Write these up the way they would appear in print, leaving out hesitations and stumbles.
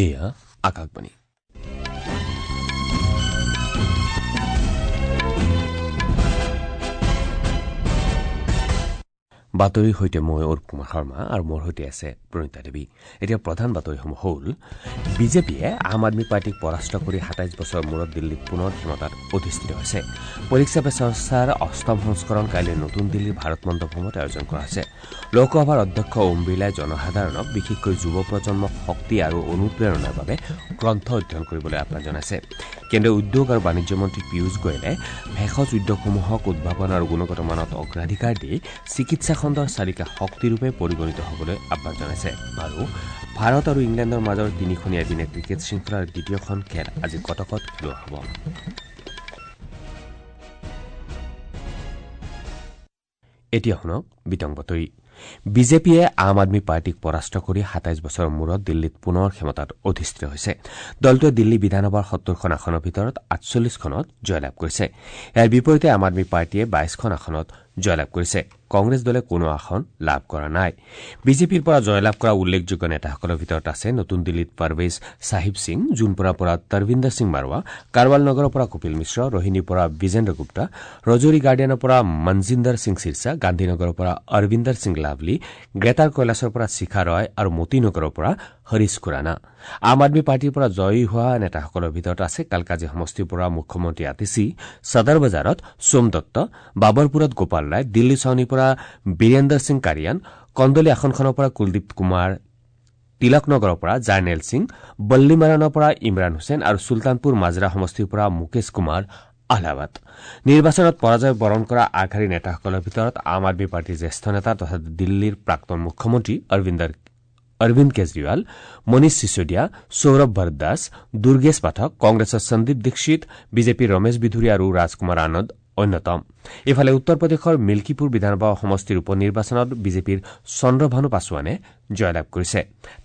এয়া আকাশবাণী। বাতৰিৰ সৈতে মই অৰূপ কুমাৰ শৰ্মা আৰু মোৰ সৈতে আছে প্ৰণীতা দেৱী। এতিয়া প্ৰধান বাতৰিসমূহ হ'ল: বিজেপিয়ে আম আদমী পাৰ্টীক পৰাস্ত কৰি ২৭ বছৰৰ মূৰত দিল্লীত পুনৰ ক্ষমতাত অধিষ্ঠিত হৈছে। পৰীক্ষা পে চৰ্চাৰ অষ্টম সংস্কৰণ কাইলৈ নতুন দিল্লীৰ ভাৰত মণ্ডপমত আয়োজন কৰা হৈছে। লোকসভাৰ অধ্যক্ষ ওম বিৰলাই জনসাধাৰণক বিশেষকৈ যুৱ প্ৰজন্মক শক্তি আৰু অনুপ্ৰেৰণাৰ বাবে গ্ৰন্থ অধ্যয়ন কৰিবলৈ আহ্বান জনাইছে। কেন্দ্ৰীয় উদ্যোগ আৰু বাণিজ্য মন্ত্ৰী পীয়ুষ গোৱেলে ভেষজ উদ্যোগসমূহক উদ্ভাৱন আৰু গুণগত মানত অগ্ৰাধিকাৰ দি চিকিৎসা খণ্ডৰ চালিকা শক্তিৰূপে পৰিগণিত হ'বলৈ আহ্বান জনাইছে। আৰু ভাৰত আৰু ইংলেণ্ডৰ মাজৰ তিনিখনীয়া এদিনীয়া ক্ৰিকেট শৃংখলাৰ দ্বিতীয়খন খেল আজি কটকত খেলোৱা হ'ব। এতিয়া শুনক বিতং বাতৰি। বিজেপিয়ে আম আদমী পাৰ্টীক পৰাস্ত কৰি ২৭ বছৰৰ মূৰত দিল্লীত পুনৰ ক্ষমতাত অধিষ্ঠিত হৈছে। দলটোৱে দিল্লী বিধানসভাৰ ৭০খন আসনৰ ভিতৰত ৪৮খনত জয়লাভ কৰিছে। ইয়াৰ বিপৰীতে আম আদমী পাৰ্টীয়ে ২২খন আসনত জয়লাভ কৰিছে। কংগ্ৰেছ দলে কোনো আসন লাভ কৰা নাই। বিজেপিৰ পৰা জয়লাভ কৰা উল্লেখযোগ্য নেতাসকলৰ ভিতৰত আছে নতুন দিল্লীত পাৰভেজ চাহিব সিং, জোনপুৰাৰ পৰা তৰবিন্দৰ সিং মাৰোৱা, কাৰৱাল নগৰৰ পৰা কপিল মিশ্ৰ, ৰোহিণীৰ পৰা বিজেন্দ্ৰ গুপ্তা, ৰজৌৰী গাৰ্ডেনৰ পৰা মনজিন্দৰ সিং চিৰচা, গান্ধীনগৰৰ পৰা অৰবিন্দৰ সিং লাভলী, গ্ৰেটাৰ কৈলাশৰ পৰা শিখা ৰয় আৰু মতিনগৰৰ পৰা হৰিশ খুৰানা। আম আদমী পাৰ্টীৰ পৰা জয়ী হোৱা নেতাসকলৰ ভিতৰত আছে কালকাজি সমষ্টিৰ পৰা মুখ্যমন্ত্ৰী আতিশী, সদৰ বজাৰত সোম দত্ত, বাবৰপুৰত গোপাল ৰায়, দিল্লী ছাউনীৰ পৰা বীৰেন্দৰ সিং কাৰিয়ান, কন্দলী আসনখনৰ পৰা কুলদীপ কুমাৰ, তিলকনগৰৰ পৰা জাৰ্নেল সিং, বল্লীমাৰানৰ পৰা ইমৰান হুছেইন আৰু চুলতানপুৰ মাজৰা সমষ্টিৰ পৰা মুকেশ কুমাৰ আহলাৱাত। নিৰ্বাচনত পৰাজয় বৰণ কৰা আগশাৰীৰ নেতাসকলৰ ভিতৰত আম আদমী পাৰ্টীৰ জ্যেষ্ঠ নেতা তথা দিল্লীৰ প্ৰাক্তন মুখ্যমন্ত্ৰী অৰবিন্দ কেজৰিৱাল, মনীষ চিছোদিয়া, সৌৰভ ভৰদ্বাজ, দুৰ্গেশ পাঠক, কংগ্ৰেছৰ সন্দীপ দীক্ষিত, বিজেপিৰ ৰমেশ বিধুৰী আৰু ৰাজকুমাৰ আনন্দ অন্যতম। ইফালে উত্তৰ প্ৰদেশৰ মিল্কীপুৰ বিধানসভা সমষ্টিৰ উপ নিৰ্বাচনত বিজেপিৰ চন্দ্ৰভানু পাছোৱানে জয়লাভ কৰিছে।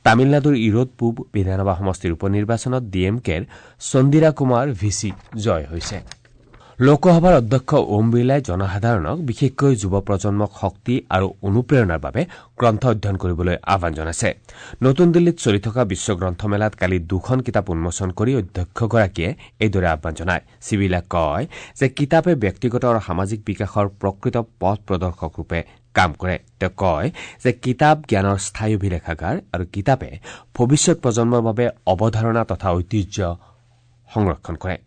তামিলনাডুৰ ইৰোড পূব বিধানসভা সমষ্টিৰ উপ নিৰ্বাচনত ডি এম কেৰ চন্দিৰা কুমাৰ ভিচি জয় হৈছে। লোকসভাৰ অধ্যক্ষ ওম বিৰলাই জনসাধাৰণক বিশেষকৈ যুৱ প্ৰজন্মক শক্তি আৰু অনুপ্ৰেৰণাৰ বাবে গ্ৰন্থ অধ্যয়ন কৰিবলৈ আহ্বান জনাইছে। নতুন দিল্লীত চলি থকা বিশ্ব গ্ৰন্থমেলাত কালি দুখন কিতাপ উন্মোচন কৰি অধ্যক্ষগৰাকীয়ে এইদৰে আহ্বান জনায়। শ্ৰী কয় যে কিতাপে ব্যক্তিগত আৰু সামাজিক বিকাশৰ প্ৰকৃত পথ প্ৰদৰ্শক ৰূপে কাম কৰে। তেওঁ কয় যে কিতাপ জ্ঞানৰ স্থায়ী অভিলেখাগাৰ আৰু কিতাপে ভৱিষ্যত প্ৰজন্মৰ বাবে অৱধাৰণা তথা ঐতিহ্য সংৰক্ষণ কৰে।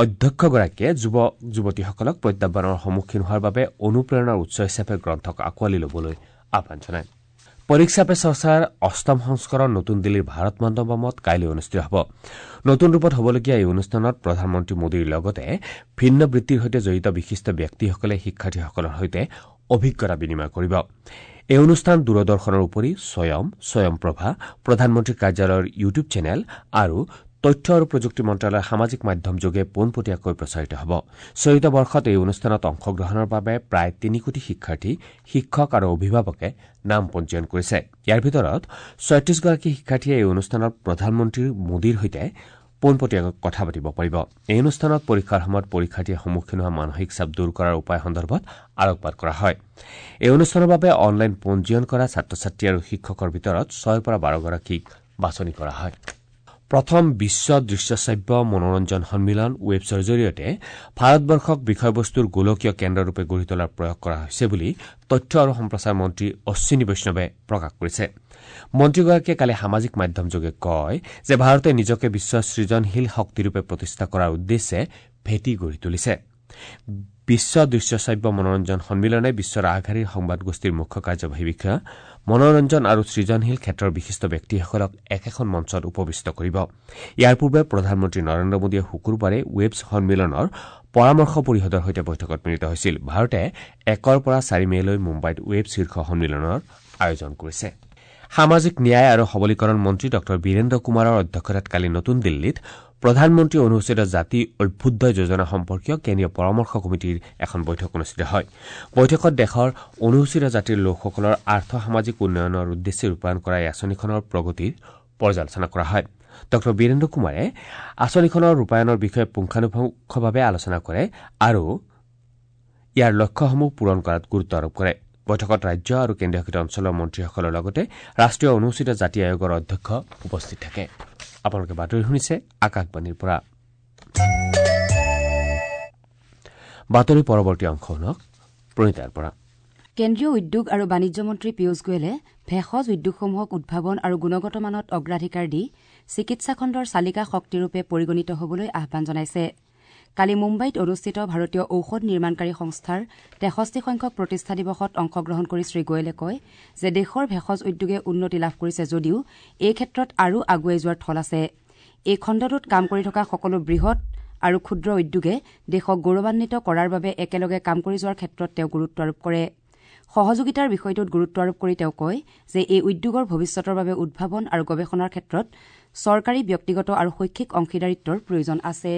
অধ্যক্ষগৰাকীয়ে যুৱক যুৱতীসকলক প্ৰত্যাহ্বানৰ সন্মুখীন হোৱাৰ বাবে অনুপ্ৰেৰণাৰ উৎস হিচাপে গ্ৰন্থক আঁকোৱালি ল'বলৈ আহ্বান জনায়। পৰীক্ষা পে চৰ্চাৰ অষ্টম সংস্কৰণ নতুন দিল্লীৰ ভাৰত মণ্ডপমত কাইলৈ অনুষ্ঠিত হ'ব। নতুন ৰূপত হ'বলগীয়া এই অনুষ্ঠানত প্ৰধানমন্ত্ৰী মোদীৰ লগতে ভিন্ন বৃত্তিৰ সৈতে জড়িত বিশিষ্ট ব্যক্তিসকলে শিক্ষাৰ্থীসকলৰ সৈতে অভিজ্ঞতা বিনিময় কৰিব। এই অনুষ্ঠান দূৰদৰ্শনৰ উপৰি স্বয়ম, স্বয়ংপ্ৰভা, প্ৰধানমন্ত্ৰীৰ কাৰ্যালয়ৰ ইউটিউব চেনেল আৰু তথ্য আৰু প্ৰযুক্তি মন্ত্ৰালয়ৰ সামাজিক মাধ্যমযোগে পোনপটীয়াকৈ প্ৰচাৰিত হ'ব। চলিত বৰ্ষত এই অনুষ্ঠানত অংশগ্ৰহণৰ বাবে প্ৰায় ৩ কোটি শিক্ষাৰ্থী, শিক্ষক আৰু অভিভাৱকে নাম পঞ্জীয়ন কৰিছে। ইয়াৰ ভিতৰত ৩৬গৰাকী শিক্ষাৰ্থীয়ে এই অনুষ্ঠানত প্ৰধানমন্ত্ৰী মোদীৰ সৈতে পোনপটীয়াকৈ কথা পাতিব পাৰিব। এই অনুষ্ঠানত পৰীক্ষাৰ সময়ত পৰীক্ষাৰ্থীয়ে সন্মুখীন হোৱা মানসিক চাপ দূৰ কৰাৰ উপায় সন্দৰ্ভত আলোকপাত কৰা হয়। এই অনুষ্ঠানৰ বাবে অনলাইন পঞ্জীয়ন কৰা ছাত্ৰ ছাত্ৰী আৰু শিক্ষকৰ ভিতৰত ৬ৰ পৰা ১২গৰাকীক বাছনি কৰা হয়। প্ৰথম বিশ্ব দৃশ্যশ্ৰাব্য মনোৰঞ্জন সন্মিলন ৱেবছৰ জৰিয়তে ভাৰতবৰ্ষক বিষয়বস্তুৰ গোলকীয় কেন্দ্ৰৰূপে গঢ়ি তোলাৰ প্ৰয়াস কৰা হৈছে বুলি তথ্য আৰু সম্প্ৰচাৰ মন্ত্ৰী অশ্বিনী বৈষ্ণৱে প্ৰকাশ কৰিছে। মন্ত্ৰীগৰাকীয়ে কালি সামাজিক মাধ্যমযোগে কয় যে ভাৰতে নিজকে বিশ্বৰ সৃজনশীল শক্তিৰূপে প্ৰতিষ্ঠা কৰাৰ উদ্দেশ্যে ভেটি গঢ়ি তুলিছে। বিশ্ব দৃশ্যশ্ৰাব্য মনোৰঞ্জন সন্মিলনে বিশ্বৰ আগশাৰীৰ সংবাদ গোষ্ঠীৰ মুখ্য কাৰ্যবাহী বিষয়া, মনোৰঞ্জন আৰু সৃজনশীল ক্ষেত্ৰৰ বিশিষ্ট ব্যক্তিসকলক একেখন মঞ্চত উপবিষ্ট কৰিব। ইয়াৰ পূৰ্বে প্ৰধানমন্ত্ৰী নৰেন্দ্ৰ মোদীয়ে শুকুৰবাৰে ৱেবছ সন্মিলনৰ পৰামৰ্শ পৰিষদৰ সৈতে বৈঠকত মিলিত হৈছিল। ভাৰতে ১ৰ পৰা ৪ মে'লৈ মুম্বাইত ৱেব শীৰ্ষ সন্মিলনৰ আয়োজন কৰিছে। সামাজিক ন্যায় আৰু সবলীকৰণ মন্ত্ৰী ডঃ বীৰেন্দ্ৰ কুমাৰৰ অধ্যক্ষতাত কালি নতুন দিল্লীত প্ৰধানমন্ত্ৰী অনুসূচিত জাতি অভ্যুদয় যোজনা সম্পৰ্কীয় কেন্দ্ৰীয় পৰামৰ্শ কমিটিৰ এখন বৈঠক অনুষ্ঠিত হয়। বৈঠকত দেশৰ অনুসূচিত জাতিৰ লোকসকলৰ আৰ্থ সামাজিক উন্নয়নৰ উদ্দেশ্যে ৰূপায়ণ কৰা এই আঁচনিখনৰ প্ৰগতিৰ পৰ্যালোচনা কৰা হয়। ডঃ বীৰেন্দ্ৰ কুমাৰে আঁচনিখনৰ ৰূপায়ণৰ বিষয়ে পুংখানুপুংখভাৱে আলোচনা কৰে আৰু ইয়াৰ লক্ষ্যসমূহ পূৰণ কৰাত গুৰুত্ব আৰোপ কৰে। বৈঠকত ৰাজ্য আৰু কেন্দ্ৰীয়শাসিত অঞ্চলৰ মন্ত্ৰীসকলৰ লগতে ৰাষ্ট্ৰীয় অনুসূচিত জাতি আয়োগৰ অধ্যক্ষ উপস্থিত থাকে। আপোনালোকে বাতৰি শুনিছে আকাশবাণীৰ পৰা। বাতৰি পৰৱৰ্তী অংশ শুনক প্ৰণীতাৰ পৰা। কেন্দ্ৰীয় উদ্যোগ আৰু বাণিজ্য মন্ত্ৰী পীয়ুষ গোৱেলে ভেষজ উদ্যোগসমূহক উদ্ভাৱন আৰু গুণগত মানত অগ্ৰাধিকাৰ দি চিকিৎসা খণ্ডৰ চালিকা শক্তিৰূপে পৰিগণিত হ'বলৈ আহ্বান জনাইছে। কালি মুম্বাইত অনুষ্ঠিত ভাৰতীয় ঔষধ নিৰ্মাণকাৰী সংস্থাৰ ৬৩ সংখ্যক প্ৰতিষ্ঠা দিৱসত অংশগ্ৰহণ কৰি শ্ৰী গোৱেলে কয় যে দেশৰ ভেষজ উদ্যোগে উন্নতি লাভ কৰিছে যদিও এই ক্ষেত্ৰত আৰু আগুৱাই যোৱাৰ থল আছে। এই খণ্ডটোত কাম কৰি থকা সকলো বৃহৎ আৰু ক্ষুদ্ৰ উদ্যোগে দেশক গৌৰৱান্বিত কৰাৰ বাবে একেলগে কাম কৰি যোৱাৰ ক্ষেত্ৰত তেওঁ গুৰুত্ব আৰোপ কৰে। সহযোগিতাৰ বিষয়টোত গুৰুত্ব আৰোপ কৰি তেওঁ কয় যে এই উদ্যোগৰ ভৱিষ্যতৰ বাবে উদ্ভাৱন আৰু গৱেষণাৰ ক্ষেত্ৰত চৰকাৰী, ব্যক্তিগত আৰু শৈক্ষিক অংশীদাৰিত্বৰ প্ৰয়োজন আছে।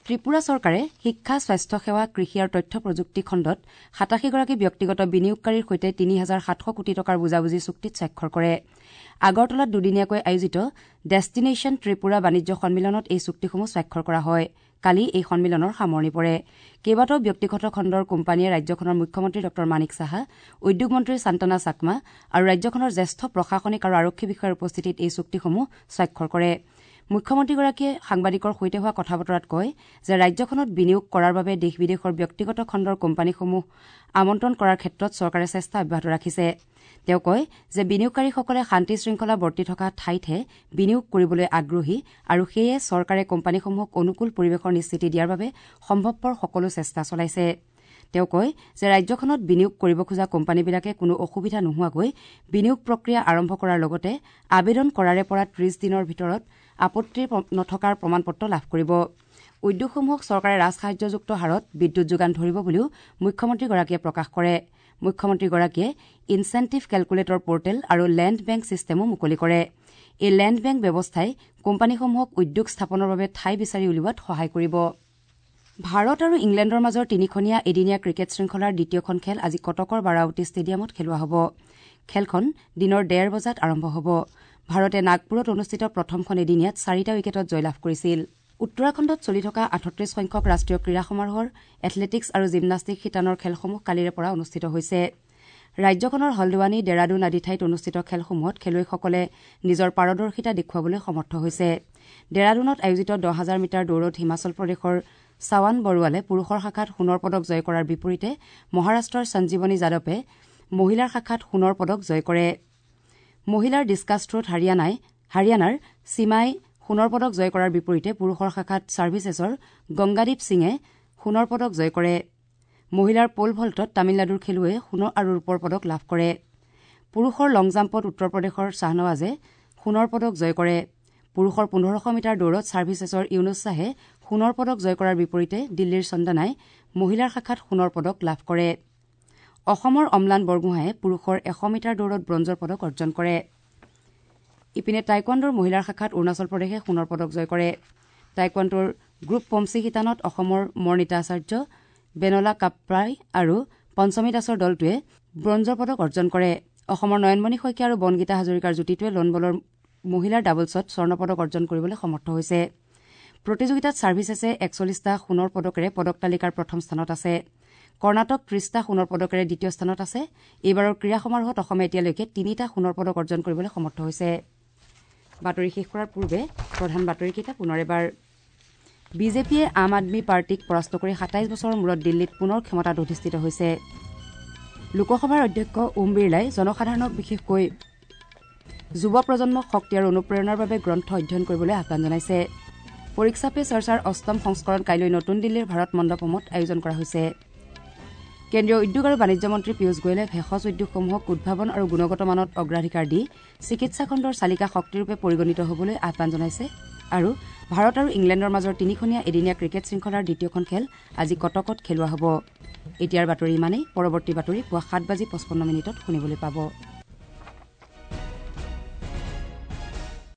ত্ৰিপুৰা চৰকাৰে শিক্ষা, স্বাস্থ্যসেৱা, কৃষি আৰু তথ্য প্ৰযুক্তি খণ্ডত ৮৭গৰাকী ব্যক্তিগত বিনিয়োগকাৰীৰ সৈতে ৩,৭০০ কোটি টকাৰ বুজাবুজি চুক্তিত স্বাক্ষৰ কৰে। আগৰতলাত দুদিনীয়াকৈ আয়োজিত ডেষ্টিনেশ্যন ত্ৰিপুৰা বাণিজ্য সন্মিলনত এই চুক্তিসমূহ স্বাক্ষৰ কৰা হয়। কালি এই সন্মিলনৰ সামৰণি পৰে। কেইবাটাও ব্যক্তিগত খণ্ডৰ কোম্পানীয়ে ৰাজ্যখনৰ মুখ্যমন্ত্ৰী ডঃ মাণিক সাহা, উদ্যোগ মন্ত্ৰী শান্তনা চাকমা আৰু ৰাজ্যখনৰ জ্যেষ্ঠ প্ৰশাসনিক আৰু আৰক্ষী বিষয়াৰ উপস্থিতিত এই চুক্তিসমূহ স্বাক্ষৰ কৰে। মুখ্যমন্ত্ৰীগৰাকীয়ে সাংবাদিকৰ সৈতে হোৱা কথা বতৰাত কয় যে ৰাজ্যখনত বিনিয়োগ কৰাৰ বাবে দেশ বিদেশৰ ব্যক্তিগত খণ্ডৰ কোম্পানীসমূহ আমন্ত্ৰণ কৰাৰ ক্ষেত্ৰত চৰকাৰে চেষ্টা অব্যাহত ৰাখিছে। তেওঁ কয় যে বিনিয়োগকাৰীসকলে শান্তি শৃংখলা বৰ্তি থকা ঠাইতহে বিনিয়োগ কৰিবলৈ আগ্ৰহী আৰু সেয়ে চৰকাৰে কোম্পানীসমূহক অনুকূল পৰিৱেশৰ নিশ্চিতি দিয়াৰ বাবে সম্ভৱপৰ সকলো চেষ্টা চলাইছে। তেওঁ কয় যে ৰাজ্যখনত বিনিয়োগ কৰিব খোজা কোম্পানীবিলাকে কোনো অসুবিধা নোহোৱাকৈ বিনিয়োগ প্ৰক্ৰিয়া আৰম্ভ কৰাৰ লগতে আবেদন কৰাৰে পৰা ৩০ দিনৰ ভিতৰত আপত্তি নথকাৰ প্ৰমাণপত্ৰ লাভ কৰিব। উদ্যোগসমূহক চৰকাৰে ৰাজসাহায্যযুক্ত হাৰত বিদ্যুৎ যোগান ধৰিব বুলিও মুখ্যমন্ত্ৰীগৰাকীয়ে প্ৰকাশ কৰে। মুখ্যমন্ত্ৰীগৰাকীয়ে ইনচেণ্টিভ কেলকুলেটৰ পৰ্টেল আৰু লেণ্ড বেংক ছিষ্টেমো মুকলি কৰে। এই লেণ্ড বেংক ব্যৱস্থাই কোম্পানীসমূহক উদ্যোগ স্থাপনৰ বাবে ঠাই বিচাৰি উলিওৱাত সহায় কৰিব। ভাৰত আৰু ইংলেণ্ডৰ মাজৰ তিনিখনীয়া এদিনীয়া ক্ৰিকেট শৃংখলাৰ দ্বিতীয়খন খেল আজি কটকৰ বাৰাৱতী ষ্টেডিয়ামত খেলোৱা হ'ব। খেলখন দিনৰ ১:৩০ বজাত আৰম্ভ হ'ব। ভাৰতে নাগপুৰত অনুষ্ঠিত প্ৰথমখন এদিনীয়াত ৪টা উইকেটত জয়লাভ কৰিছিল। উত্তৰাখণ্ডত চলি থকা ৩৮ সংখ্যক ৰাষ্ট্ৰীয় ক্ৰীড়া সমাৰোহৰ এথলেটিকছ আৰু জিমনাষ্টিক শিতানৰ খেলসমূহ কালিৰে পৰা অনুষ্ঠিত হৈছে। ৰাজ্যখনৰ হলদোৱানী, ডেৰাডুন আদি ঠাইত অনুষ্ঠিত খেলসমূহত খেলুৱৈসকলে নিজৰ পাৰদৰ্শিতা দেখুৱাবলৈ সমৰ্থ হৈছে। ডেৰাডুনত আয়োজিত ১০,০০০ মিটাৰ দৌৰত হিমাচল প্ৰদেশৰ চাৱান বৰুৱালে পুৰুষৰ শাখাত সোণৰ পদক জয় কৰাৰ বিপৰীতে মহাৰাষ্ট্ৰৰ সঞ্জীৱনী যাদৱে মহিলাৰ শাখাত সোণৰ পদক জয় কৰে। মহিলাৰ ডিছকাছ থ্ৰোত হাৰিয়ানাৰ সীমাই সোণৰ পদক জয় কৰাৰ বিপৰীতে পুৰুষৰ শাখাত ছাৰ্ভিচেছৰ গংগাদীপ সিঙে সোণৰ পদক জয় কৰে। মহিলাৰ প'ল ভল্টত তামিলনাডুৰ খেলুৱৈয়ে সোণ আৰু ৰূপৰ পদক লাভ কৰে। পুৰুষৰ লং জাম্পত উত্তৰ প্ৰদেশৰ শ্বাহনৱাজে সোণৰ পদক জয় কৰে। পুৰুষৰ ১৫০০ মিটাৰ দৌৰত ছাৰ্ভিচেছৰ ইউনুছ শ্বাহে সোণৰ পদক জয় কৰাৰ বিপৰীতে দিল্লীৰ চন্দনাই মহিলাৰ শাখাত সোণৰ পদক লাভ কৰে। অসমৰ অম্লান বৰগোহাঁয়ে পুৰুষৰ ১০০ মিটাৰ দৌৰত ব্ৰঞ্জৰ পদক অৰ্জন কৰে। ইপিনে টাইকোৱাণ্ডোৰ মহিলাৰ শাখাত অৰুণাচল প্ৰদেশে সোণৰ পদক জয় কৰে। টাইকোৱাণ্ডোৰ গ্ৰুপ পমচি শিতানত অসমৰ মৰ্ণিতা আচাৰ্য, বেনলা কাপ্ৰাই আৰু পঞ্চমী দাসৰ দলটোৱে ব্ৰঞ্জৰ পদক অৰ্জন কৰে। অসমৰ নয়নমণি শইকীয়া আৰু বনগীতা হাজৰিকাৰ যুটিটোৱে লন বলৰ মহিলাৰ ডাবলছত স্বৰ্ণ পদক অৰ্জন কৰিবলৈ সমৰ্থ হৈছে। প্ৰতিযোগিতাত ছাৰ্ভিচেছে ৪১টা সোণৰ পদকেৰে পদক তালিকাৰ প্ৰথম স্থানত আছে। কৰ্ণাটক ৩০টা সোণৰ পদকেৰে দ্বিতীয় স্থানত আছে। এইবাৰৰ ক্ৰীড়া সমাৰোহত অসমে এতিয়ালৈকে ৩টা সোণৰ পদক অৰ্জন কৰিবলৈ সমৰ্থ হৈছে। বাতৰি শেষ কৰাৰ পূৰ্বে প্ৰধান বাতৰিকেইটা পুনৰ এবাৰ। বিজেপিয়ে আম আদমী পাৰ্টীক পৰাস্ত কৰি ২৭ বছৰৰ মূৰত দিল্লীত পুনৰ ক্ষমতাত অধিষ্ঠিত হৈছে। লোকসভাৰ অধ্যক্ষ ওম বিৰলাই জনসাধাৰণক বিশেষকৈ যুৱ প্ৰজন্মক শক্তি আৰু অনুপ্ৰেৰণাৰ বাবে গ্ৰন্থ অধ্যয়ন কৰিবলৈ আহ্বান জনাইছে। পৰীক্ষা পে চৰ্চাৰ অষ্টম সংস্কৰণ কাইলৈ নতুন দিল্লীৰ ভাৰত মণ্ডপমত আয়োজন কৰা হৈছে। কেন্দ্ৰীয় উদ্যোগ আৰু বাণিজ্য মন্ত্ৰী পীয়ুষ গোৱেলে ভেষজ উদ্যোগসমূহক উদ্ভাৱন আৰু গুণগত মানত অগ্ৰাধিকাৰ দি চিকিৎসা খণ্ডৰ চালিকা শক্তিৰূপে পৰিগণিত হ'বলৈ আহ্বান জনাইছে। আৰু ভাৰত আৰু ইংলেণ্ডৰ মাজৰ তিনিখনীয়া এদিনীয়া ক্ৰিকেট শৃংখলাৰ দ্বিতীয়খন খেল আজি কটকত খেলোৱা হ'ব। এতিয়াৰ বাতৰি ইমানেই। পৰৱৰ্তী বাতৰি পুৱা ৭:৫৫ শুনিবলৈ পাব।